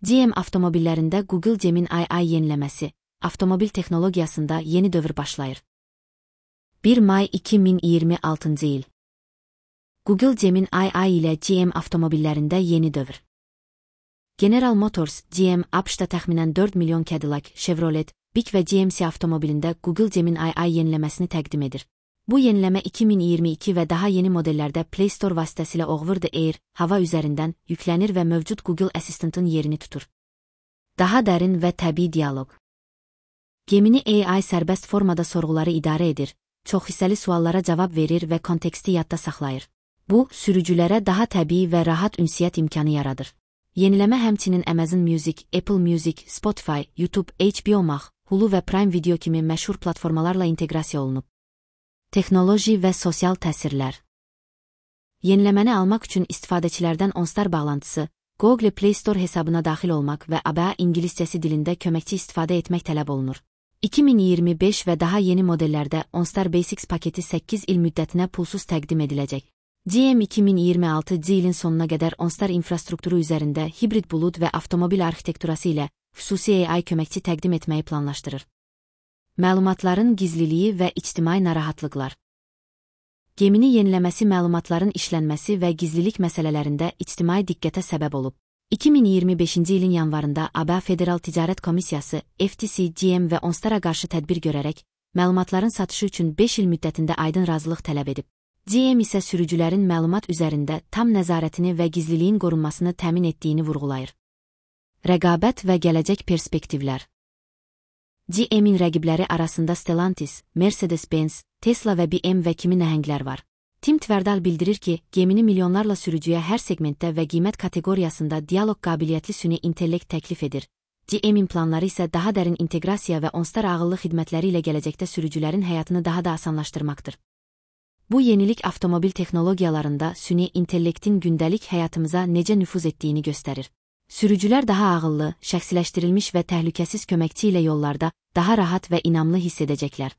GM avtomobillərində Google Gemini AI yeniləməsi, avtomobil texnologiyasında yeni dövr başlayır. 1 may 2026-cı il. Google Gemini AI ilə GM avtomobillərində yeni dövr. General Motors, GM, ABŞ-da təxminən 4 milyon Cadillac, Chevrolet, Buick və GMC avtomobilində Google Gemini AI yeniləməsini təqdim edir. Bu yeniləmə 2022 və daha yeni modellərdə Play Store vasitəsilə Over the Air, hava üzərindən yüklənir və mövcud Google Assistant-ın yerini tutur. Daha dərin və təbii dialoq. Gemini AI sərbəst formada sorğuları idarə edir, çoxhissəli suallara cavab verir və konteksti yadda saxlayır. Bu, sürücülərə daha təbii və rahat ünsiyyət imkanı yaradır. Yeniləmə həmçinin Amazon Music, Apple Music, Spotify, YouTube, HBO Max, Hulu və Prime Video kimi məşhur platformalarla inteqrasiya olunub. Texnoloji və sosial təsirlər. Yeniləməni almaq üçün istifadəçilərdən OnStar bağlantısı, Google Play Store hesabına daxil olmaq və ABA ingiliscəsi dilində köməkçi istifadə etmək tələb olunur. 2025 və daha yeni modellərdə OnStar Basics paketi 8 il müddətinə pulsuz təqdim ediləcək. GM 2026 ilin sonuna qədər OnStar infrastrukturu üzərində hibrid bulud və avtomobil arxitekturası ilə xüsusi AI köməkçi təqdim etməyi planlaşdırır. Məlumatların gizliliyi və ictimai narahatlıqlar. Gemini yeniləməsi məlumatların işlənməsi və gizlilik məsələlərində ictimai diqqətə səbəb olub. 2025-ci ilin yanvarında ABA Federal Ticarət Komissiyası, FTC, GM və OnStar-a qarşı tədbir görərək, məlumatların satışı üçün 5 il müddətində aydın razılıq tələb edib. GM isə sürücülərin məlumat üzərində tam nəzarətini və gizliliyin qorunmasını təmin etdiyini vurğulayır. Rəqabət və gələcək perspektivlər. GM-in rəqibləri arasında Stellantis, Mercedes-Benz, Tesla və BMW kimi nəhənglər var. Tim Tverdal bildirir ki, Gemini milyonlarla sürücüyə hər segmentdə və qiymət kateqoriyasında dialoq qabiliyyətli süni intellekt təklif edir. GM-in planları isə daha dərin inteqrasiya və OnStar ağıllı xidmətləri ilə gələcəkdə sürücülərin həyatını daha da asanlaşdırmaqdır. Bu yenilik avtomobil texnologiyalarında süni intellektin gündəlik həyatımıza necə nüfuz etdiyini göstərir. Sürücülər daha ağıllı, şəxsiləşdirilmiş və təhlükəsiz köməkçi ilə yollarda daha rahat və inamlı hiss edəcəklər.